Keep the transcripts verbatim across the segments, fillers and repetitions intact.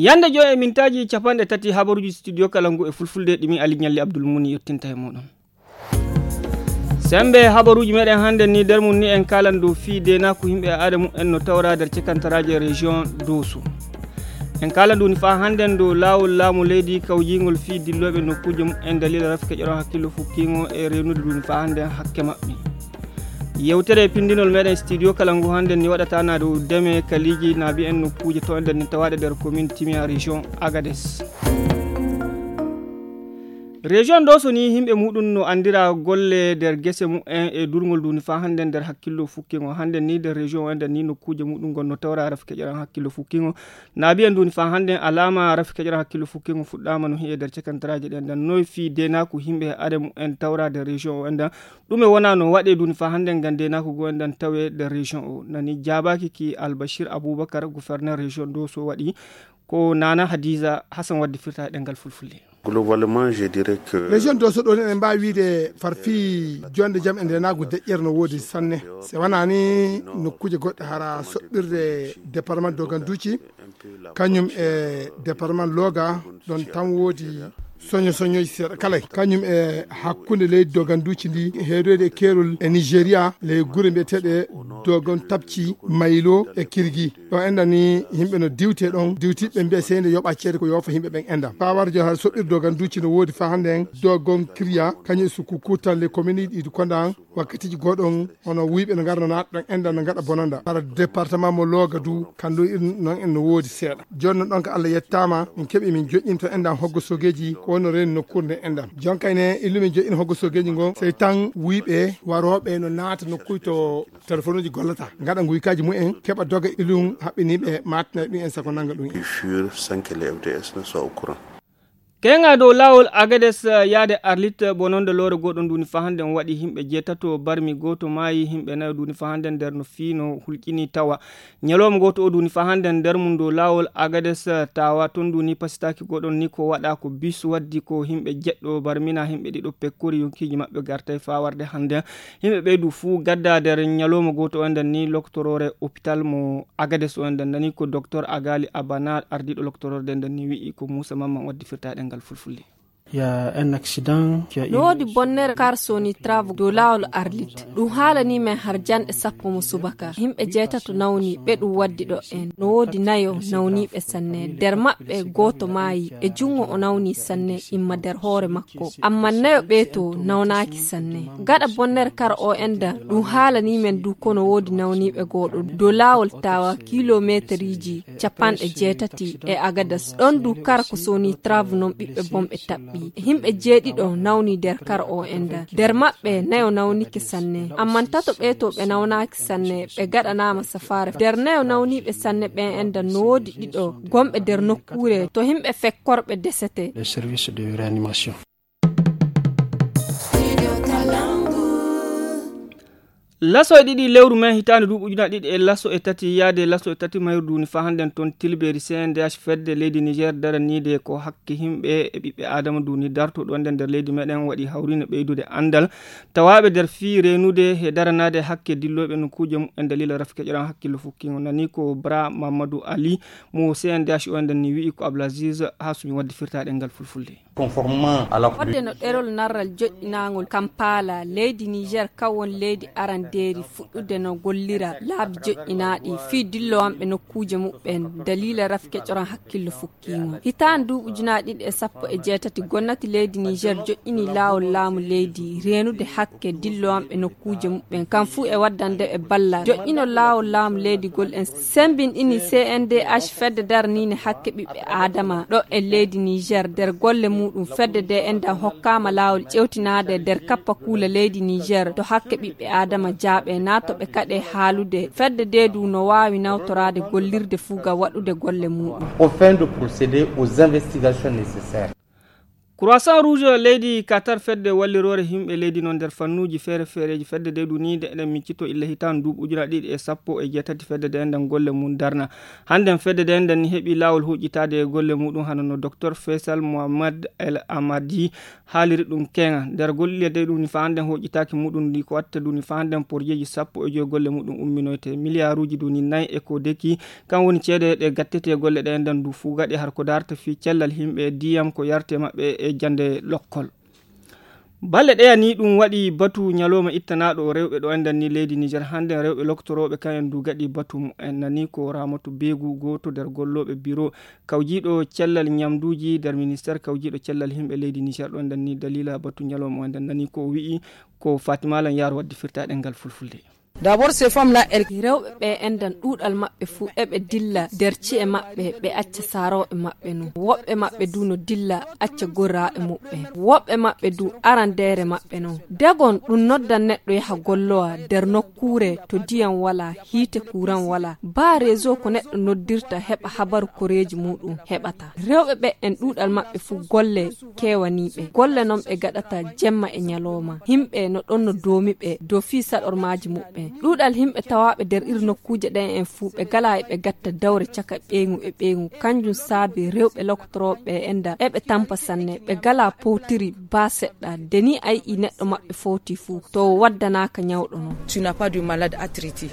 Yande joy e mintaaji capanɗe tati habaruuji studio kala ngu e fulfulde ɗi min Ali Ɲalli Abdul Muni yottinta e muɗum. Sembe habaruuji meɗen hannde ni nder mum ni en kaalan dow fii deenaaku yimɓe e aada mumen no tawra nder cekantaraaje région Doso. En kaalan ɗum ni faa hannde dow laawol laamu leydi kawjiingol fii dillooɓe nokkuuje mumen dalila rafi keƴoron hakkillo fukkiingo e reenude ɗum ni faa hannde hakke maɓɓe. Yewtere pindinol meɗen studio kala ngu hannde ni waɗata na dow deme kaliiji na mbiyen nokkuuje to nder ni tawaaɗe nder commune Timia région Agadez. Région Doso ni yimɓe muɗum no anndira golle nder gese mumen e durngol duni faa hannde nder hakkillo fukkiingo. Hannde ni nder région o nder ni nokkuuje muɗum ngon no tawra rafi keƴoran hakkillo fukkiingo. Na mbiyen duni faa hannde alaama rafi keƴoran hakkillo fukkiingo fuɗɗaama no hiye nder cekantaraaje ɗen. Nden noy fii deenaaku yimɓe e aada mumen tawra nder région o nden. Ɗume wona no waɗe duni faa hannde ngam deenaaku go nden tawe nder région o. Nani jaabaaki ki Albashir Abubakar, gouverneur région Doso waɗi ko Nana Hadiza Hassan waddi firta e ɗemngal fulfulde. Globalement, je dirais que région Doso ɗo ni eɗen mbaawi wiide farfi jonde jam e ndenaagu deƴƴere no woodi sanne. Se wonaa ni nokkuuje goɗɗe hara soɓɓirde département Doganduci, kañum e département Loga, ɗon tan woodi soño soñoji seeɗa kala. Kañum e hakkunde leydi Doganduci ndi, heedoyde e keerol e Nigeria, ley gure mbiyeteeɗe Dogon Tapci, Maylo e Kirgi. Ɗo enɗan ni yimɓe no diwte ɗon, diwtiɓe mbiya sey nde yoɓa ceede ko yoofa yimɓe ɓen enɗan. Faa warjo har soɓɓirde Doganduci no woodi faa hannde en Dogon Kirya, kañum e Sukukuta, les communes ɗi kondan wakkatiji goɗon, hono wuyɓe no ngarno naata ɗon enɗan no ngaɗa bonanda. Hara département mo Loga du, kandu irin non en no woodi seeɗa. Jooni non ɗon ko Allah yettaama, min keɓi min joƴƴinto enɗan hoggo sogeji ko wonno reeni nokkuure nde enɗan. Jonkay ne illu min joƴƴin hoggo sogeji ngon, sey tan wuyɓe warooɓe no naata nokkuy to telefonuji gollata, ngaɗa nguykaaji mumen, keɓa doga ilum haɓɓiniiɓe maatina ɗum en sako nanga ɗum en. Fur sans que les F D S ne soient au courant. Keŋa dow laawol Agades, eh, yaade Arlit, eh, bononde loore goɗɗo nduni faa hannde on waɗi yimɓe jeetato barmi gooto maayi, yimɓe nayo nduni faa hannde nder no fiino hulƴini tawa. Ñalawma gooto o nduni faa hannde nder mum dow laawol Agades, eh, tawa ton nduni pasitaaki goɗɗon ni ko waɗa ko bis waddi ko yimɓe jeɗɗo barmina yimɓe ɗiɗo pekkori yonkiiji maɓɓe gartay faa warde hannde. Yimɓe ɓeydu fuu gadda nder ñalawma gooto o nden ni loktoroore hôpital mo Agades o nden nani ko docteur Agali Abana ardiiɗo loktoroore nden ni wi'i ko Muusa Mamman waddi firtaade ngal fulfulde. Il y a un accident qui a eu. No woodi bonnere kar soni travo dow laawol Arlit. Ɗum haalani men har janɗe sappo mo subaka. Yimɓe jeetato nawni ɓe ɗum waddi ɗo en. No woodi nayo nawniiɓe sanne. Nder maɓɓe gooto maayi e junngo o nawni sanne imma nder hoore makko. Amma nayo ɓeeto nawnaaki sanne. Gaɗa bonnere kar o enda ɗum haalani men du kono woodi nawniiɓe gooɗo dow laawol tawa kilomeeteriji capanɗe jeetati e Agadas. Ɗon du kara ko soni trave non ɓiɓɓe bonɓe taɓɓi. Yimɓe jeeɗiɗo nawni nder kara o enda. Nder maɓɓe nayo nawnike sanne. Amman tato ɓeeto ɓe nawnaaki sanne, ɓe gaɗanaama safaare. Nder nayo nawniiɓe sanne ɓen enda no woodi ɗiɗo gonɓe nder nokkuure to yimɓe fekkorɓe desete. Les services de réanimation. Laso e ɗiɗi lewru men hitaande duuɓi ujunaaji ɗiɗi e laso e tati yaade laso e tati mayru duuni faa hannden toon tilbeeri C N D H fedde leydi Niger daraniide ko hakke yimɓe e ɓiɓɓe Aadama duuni dartooɗo nden nder leydi meɗen waɗi hawriinde ɓeydude anndal tawaaɓe nder fii reenude e daranaade hakke dillooɓe nokkuuje mumen daliila rafi keƴoran hakkillo fukkiingo nani ko Bra Mamadou Ali mo C N D H o nden ni wi'i ko Ablaziz Hasumi wadde firtaade ngal fulfulde. Conformément à la Fodde no ɗerol narral joƴƴinaangol Kampala, leydi Niger kawon leydi arandeeri fuɗɗude no gollira laabi joƴƴinaaɗi fii dillowanɓe nokkuuje muɓɓen daliila rafi keƴoran hakkillo fukkiingo. Hitaande duuɓi ujunaaji ɗiɗi e sappo e jeetati gonnati leydi Niger joƴƴini laawol laamu leydi reenude hakke dillowanɓe nokkuuje muɓɓen kam fuu e waddande ɓe ballal. Joƴƴinol laawol laamu leydi gol en sembinɗini C N D H fedde daraniinde hakke ɓiɓɓe Aadama ɗo e leydi Niger nder golle muuɗum fedde nde enɗan hokkaama laawol ƴewtinaade nder kappa kuula leydi Niger to hakke ɓiɓɓe Aadama jaaɓe naa to ɓe kaɗe haalude fedde nde du no waawi nawtoraade gollirde fuu ngam waɗude golle muuɗum. Au fin de procéder aux investigations nécessaires. Croissant Rouge leydi Qatar, fedde walliroore yimɓe leydi noon nder fannuuji feere feereeji. Fedde nde ɗum nii nde eɗen miccito illa hitaande nduuɓu ujunaaji ɗiɗi e sappo e jeetati, fedde nde nden golle mum darna. Hannden fedde nde nden ni heɓi laawol huuƴitaade e golle muɗum, hano no Docteur Faisal Mohamed El Amadi haaliri ɗum keŋa. Nder golle ɗe ɗum ni faa hannden huuƴitaaki muɗum ndi ko watta ɗum ni faa hannden porjeeji sappo e joy golle muɗum umminoyte. Miliyaaruuji ɗum ni nayi e ko deki, kan woni ceede ɗe gattete golle ɗe nden du fuu gaɗe har ko darta fii cellal yimɓe, diyam ko yarte maɓɓe e jannde lokkol. Balle ɗeya ni ɗum waɗi batu ñalooma ittanaaɗo rewɓe ɗo enɗan ni leydi Niger. Hannden rewɓe loktorooɓe kan en du gaɗi batu mu'en. Nani ko Ramatu Beegu, gooto nder gollooɓe biro kawjiiɗo cellal ñamduuji nder ministeer kawjiiɗo cellal yimɓe leydi Niger ɗo enɗan ni daliila batu ñalooma o enɗan. Nani ko o wi'i, ko Fatima Lan Yaaru waddi firtaaɗe ngal fulfulde. D'abord, ces femmes-là, elles Rewɓe ɓe enɗan ɗuuɗal maɓɓe fuu eɓe dilla nder ci'e maɓɓe, ɓe acca saarooɓe maɓɓe no. Woɓɓe maɓɓe du no dilla acca gorraaɓe muɓɓen. Woɓɓe maɓɓe du arandeere maɓɓe non. Degon ɗum noddan neɗɗo yaha gollowa nder nokkuure to diyam walaa, hiite kuuran walaa. Baa reezo ko neɗɗo noddirta heɓa habaru koreeji muɗum heɓata. Rewɓe ɓe en ɗuuɗal maɓɓe fuu golle kewaniiɓe. Golle non ɓe gaɗata jemma e ñalooma. Yimɓe no ɗon no doomi ɓe dow fii saɗormaaji muɓɓen. Ɗuuɗal yimɓe tawaaɓe nder iri nokkuuje ɗen en fuu ɓe galaa e ɓe gatta dawre caka ɓeyngu e ɓeyngu. Kanjum saabi rewɓe lokotorooɓe ɓe enɗan eɓe tampa sanne. Ɓe galaa powtiri baa seɗɗa. Nde ni a yi'ii neɗɗo maɓɓe fowtii fuu, to o waddanaaka ñawɗo non. Tu n'as pas de malade à traiter.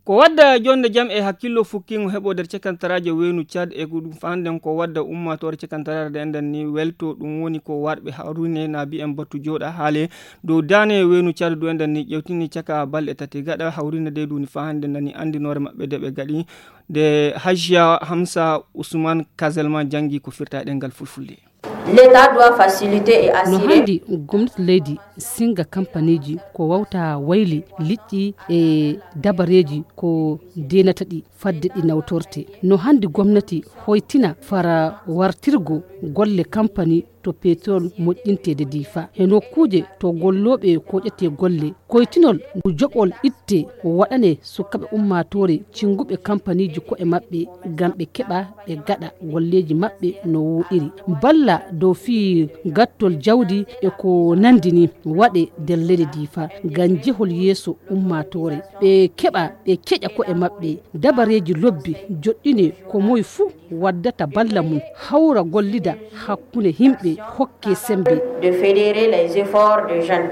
Ko wadda jonde jam e hakkillo fukkingo heɓo nder cakantaraaje weynu Tchad e ko ɗum faanden ko wadda ummaatoore cakantaraare nde enɗan ni welto, ɗum woni ko warɓe hawrine na bi'en batu jooɗa haale dow daane weynu Tchad du enɗan ni ƴewtini caka balɗe tati gaɗa hawrine de duni faande nani anndinoore maɓɓe de ɓe gaɗi de. Hajiya Hamsa Usman Kazelma janngi ko firta e ɗemngal fulfulde. L'État doit faciliter et No assurer. Hanndi gomnati leydi singa kampaniiji ko wawta wayli liƴƴi e dabareeji ko deenata ɗi fadde ɗi nawtorte. No hanndi gomnati hoytina fara wartirgo golle kampani to petrol moƴƴinteede Diifa. He nokkuuje to gollooɓe koƴetee golle, koytinol ngu joɓol itte waɗanee sukaaɓe ummaatoore cinnguɓe kampaniiji ko'e maɓɓe ngam ɓe keɓa ɓe gaɗa golleeji maɓɓe no wooɗiri. Balla dow fii gattol jawdi e ko nanndi ni waɗee nder leydi Diifa ngam jehol yeeso ummaatoore. Ɓe keɓa ɓe keƴa ko'e maɓɓe dabareeji lobbi joɗɗinee ko moy fuu waddata balla mum hawra gollida hakkunde yimɓe hokke semmbe. De fédérer les efforts de jeunes.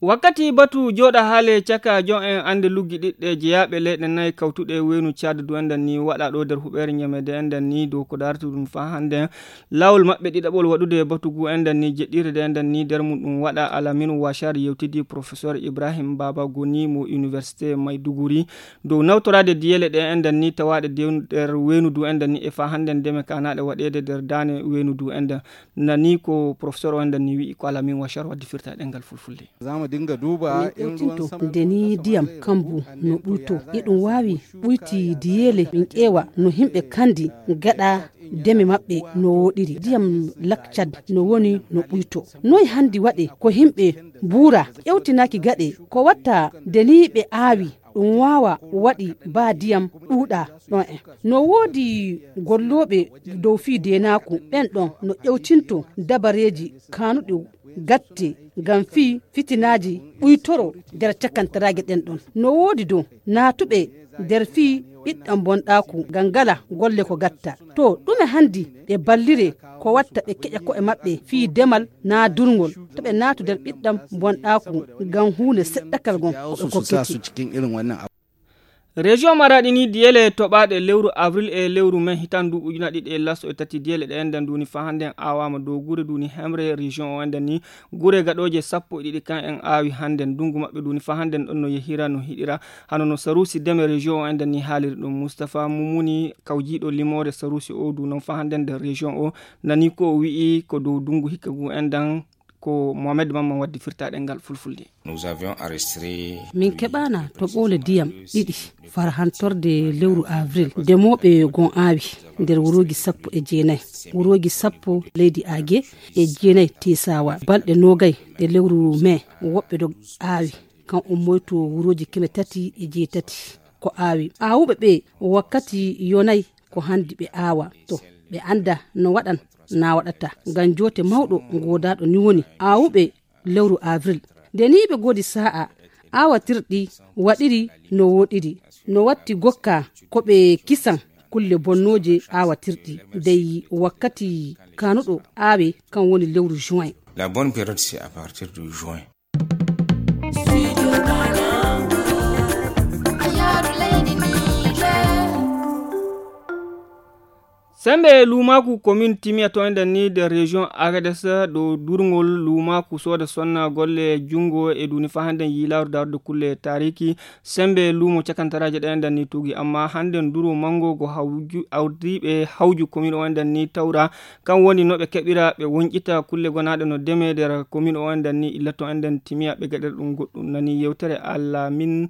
Wakkati batu jooɗa haale caka jon en annde luggi ɗiɗɗe jeyaaɓe leyɗe nayi kawtuɗe weynu Tchad du enɗan ni waɗa ɗo nder huɓeere ñamede enɗan ni dow ko darata ɗum faa hannden laawol maɓɓe ɗiɗaɓol waɗude batu gu enɗan ni jeɗɗirde enɗan ni nder mum ɗum waɗa. Alamin Wachar yewtidi professeur Ibrahim Baba Goni mo université Maiduguri dow nawtoraade diyele ɗe enɗan ni tawaaɗe de nder weynu du enɗan ni e faa hannden ndeme kaanaaɗe waɗeede nder daane weynu du enɗan. Nani ko professeur o enɗan ni wi'i ko Alamin Wachar waddi firta e ɗemngal fulfulde. Za mu dinga duba Min in ruwan ƴewtinto sama nde ni ndiyam kambu no ɓuyto. Iɗum waawi ɓuyti diyeele min ƴeewa no yimɓe kandi gaɗa deme maɓɓe no wooɗiri. Ndiyam Lak Tchad no woni no ɓuyto. Noy handi waɗe ko yimɓe buura ƴewtinaaki gaɗe ko watta nde ni ɓe aawi ɗum waawa waɗi baa ndiyam ɗuuɗa ɗon en. No woodi gollooɓe dow fii deenaaku ɓen ɗon no ƴewtinto dabareeji kaanuɗi gatte ngam fii fitinaaji ɓuytoro nder cakantaraage ɗen ɗon. No woodi dow naatuɓe nder fii ɓiɗɗam bonɗaaku ngam ngala golle ko gatta. To ɗume handi ɓe ballire ko watta ɓe keƴa ko'e maɓɓe fii demal naa durngol to ɓe naatu nder ɓiɗɗam bonɗaaku ngam huunde seɗɗakal ngon ko ɓe kokkete. Région Maradi ni diyele toɓaaɗe lewru avril e lewru mai hitan du ujuna ɗiɗi e laso e tati diyele ɗe enɗan duni fa hannden awaama dow gure duni hemre région o enɗan ni gure gaɗooje sappo e ɗiɗi kan en aawi hannden ndungu maɓɓe duni fa hannden ɗon no yehira no hiɗira hano no sarusi deme région o enɗan ni haaliri ɗum. Mustapha Mumuni kawjiiɗo limoore sarusi o du non fa hannden nder région o nani ko o wi'i ko dow ndungu hikka ngu enɗan ko Mohamed Mamman waddi firtaɗe ngal fulfulde. Nous avions enregistré min keɓaana to ɓoole ndiyam ɗiɗi fara hantorde lewru avril ndemooɓe gon aawi nder wurooji sappo e jeenayi wurooji sappo leydi Age e jeenayi Tesawa balɗe noogay ɗe lewru mai woɓɓe dog aawi kan ummoyto wurooji keme tati e jeetati ko aawi aawuɓe ɓe wakkati yonayi Ko hanndi ɓe aawa to ɓe annda no waɗan na waɗata. Ngam joote mawɗo ngoodaaɗo ni woni aawuɓe lewru avril. Nde ni ɓe ngoodi saa'a aawatirɗi waɗiri no wooɗiri. No watti gokka ko ɓe kisan kulle bonnooje aawatirɗi. Dey wakkati kaanuɗo aawe kan woni lewru juin. La bonne période, c'est à partir de juin. Sembe luumaaku komin timiya to enden ni nder région Agadez ɗo durngol luumaaku sooda sonna golle junngo e duni fa hannden yiilaaru darde kulle taariki. Sembe luumo cakantaraaje ɗe enden ni tuugi, amma hannden duro manngo go hawju awdiiɓe hawju komin o enden ni tawra. Kan woni no ɓe keɓira ɓe wonƴita kulle gonaaɗe no deme nder komin o enden ni illa to enden timiya ɓe gaɗira ɗum goɗɗum nani yewtere. Alla min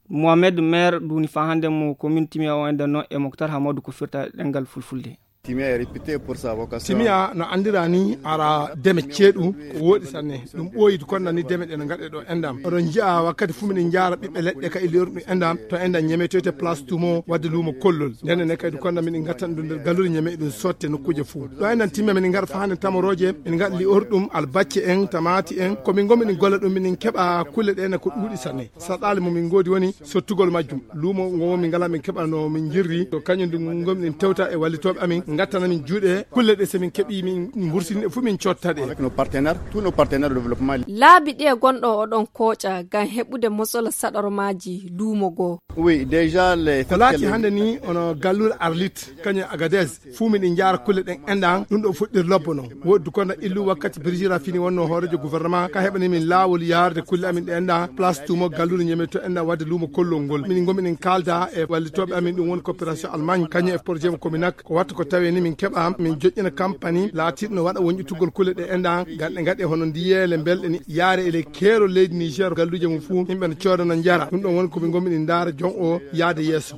Mohamed Maire duni fa hannden mo komin timiya o enden noon e Moktar Hamadou ko firta ɗemngal fulfulde. Timiya no anndira ni ara deme ceeɗu ko wooɗi sanne. Ɗum ɓooyi kon nani deme ɗe no ngaɗe ɗo endam. Oɗon nji'a wakkati fuu miɗen njaara ɓiɓɓe leɗɗe ka e li'orɗum endam to endam ñemetoyte place tumo wadde luumo kollol. Nden ne kadi kon nani miɗen ngattan ɗum nder galluure ñeme ɗum sotte nokkuuje fuu. Ɗo endam timiya miɗen ngar fa hannde tamorooje, miɗen ngaɗa li'orɗum albacce en, tamaati en, ko min ngomi ɗin golla ɗum miɗen keɓa kulle ɗe ne ko ɗuuɗi sanne. Saɗaale mo min ngoodi woni sottugol majjum. Luumo ngo min ngala min keɓa no min jirri. To kañum ndu ngomi ɗin tewta e wallitooɓe amin, ngattana min juuɗe. Kulle ɗe so min keɓi min mbursini ɗe fuu min cotta ɗe. Avec nos partenaires, tous nos partenaires de développement. Laabi ɗi e gonɗo oɗon kooƴa ngam heɓude mosola saɗormaaji luumo goo. Oui, déjà les. Ko laati hannde ni ono galluure Arlit, kañum e Agadez, fuu miɗen njaara kulle ɗen enɗan, ɗum ɗo fuɗɗir lobbo non. Woɗdu kono illu wakkati Birjira fini wonno hoorejo gouvernement, ka heɓani min laawol yaarde kulle amin ɗe enɗan, place tumo galluure ñeme to enɗan wadde luumo kollol ngol. Min ngomi ɗen kaalda e wallitooɓe amin, ɗum woni coopération Allemagne, kañum e projet mo Cominac. Ko wattu ko tawe ni min keɓa, min joƴƴina kampanyi laatiiɗo no waɗa wonƴitugol kulle ɗe enɗan, ngam ɗe ngaɗe hono ndiyeele mbelɗe ni, yaare e ley keerol leydi Niger, galluuje mum fuu, yimɓe no cooda no njara. Ɗum ɗon woni ko min ngomi ɗen ndaara jon o yaade yeeso.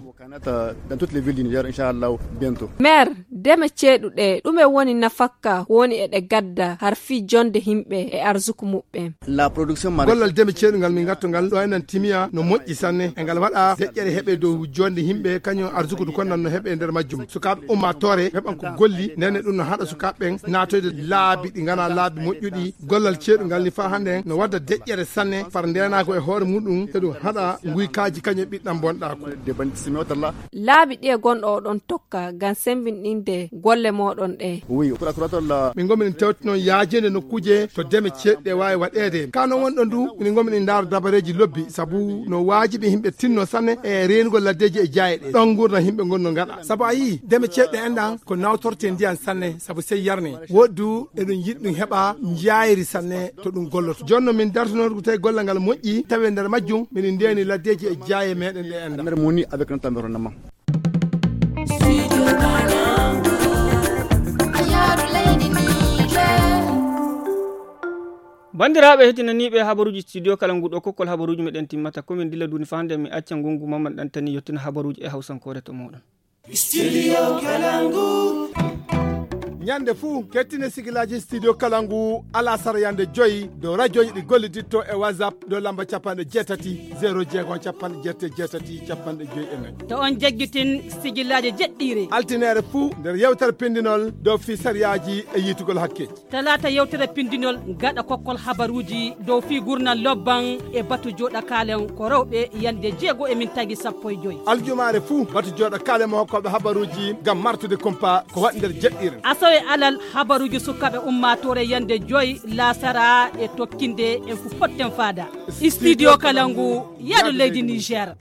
Dans toutes les villes du Niger, inchallah, bientôt. Maire, deme ceeɗu ɗe, ɗume woni nafakka woni e ɗe gadda har fii jonde yimɓe e arsuku muɓɓen? La production maraîchère. Gollal deme ceeɗu ngal min ngatto ngal ɗo enen timiya no moƴƴi sanne. E ngal waɗa deƴƴere heɓe dow jonde yimɓe, kañum arsuku du kon nan no heɓe nder majjum. Sukaaɓe ummaatoore heɓan ko golli, nene ɗum no haɗa sukaaɓe ɓen naatoyde laabi ɗi ngana laabi moƴƴuɗi. Gollal ceeɗu ngal ni faa hannde no wadda deƴƴere sanne, far ndeenaago e hoore muɗum, e ɗum haɗa nguykaaji kañum e ɓiɗɗam bonɗaaku. Laabi ɗi e gonɗo oɗon tokka ngam semmbinɗinde golle mooɗon ɗe? Min ngomi min tewti noon yaajeende nokkuuje to deme ceeɗu ɗe waawi waɗeede. Ka noon wonɗon du, min ngomi min ndaara dabareeji lobbi, sabu no waajibi yimɓe tinno sanne e reenugol laddeeji e jaaye ɗe. Ɗon nguurndam yimɓe ngon no ngaɗa. Sabu a yii, deme ceeɗu ɗe enɗan ko nawtorte ndiyan sanne, sabu sey yarne. Woɗdu eɗum yiɗi ɗum heɓa njaayri sanne to ɗum golloto. Jooni no min dartunoo ko tawi gollal ngal moƴƴi, tawi e nder majjum, miɗen ndeeni laddeeji e jaaye meɗen ɗe enɗan. Nder moni avec notre environnement. Banndiraaɓe heɗinaniiɓe habaruuji studio kala ngu ɗo kokkol habaruuji meɗen timmata komin dilla duuni fa hannde mi acca ngongu mamman ɗantani yettina habaruuji e hawsankoore to mooɗon. Studio Kalangu. Ñande fuu kettine sigilaaji studio Kalangu alasara yande joyi dow rajooji ɗi golliditto e WhatsApp dow lamba capanɗe jeetati zéro jeego capanɗe jeetati jeetati capanɗe joyi e nayi. To on jaggitin sigilaaji jeɗɗiire. Altineere fuu nder yewtere pindinol dow fii sariyaaji e yiitugol hakkeeji. Talaata yewtere pindinol gaɗa kokkol habaruuji dow fii gurnal lobban e batu jooɗa kaalen ko rewɓe yande jeego e min tagi sappo e joyi. Aljumaare fuu batu jooɗa kaalen mo hokkooɓe habaruuji ngam martude kumpa ko waɗi nder jeɗɗiire. Asawe alal habaruuji sukaaɓe ummaatoore yande joyi laasara e tokkinde en fu potten faada. Studio Kalangu yaado leydi Niger.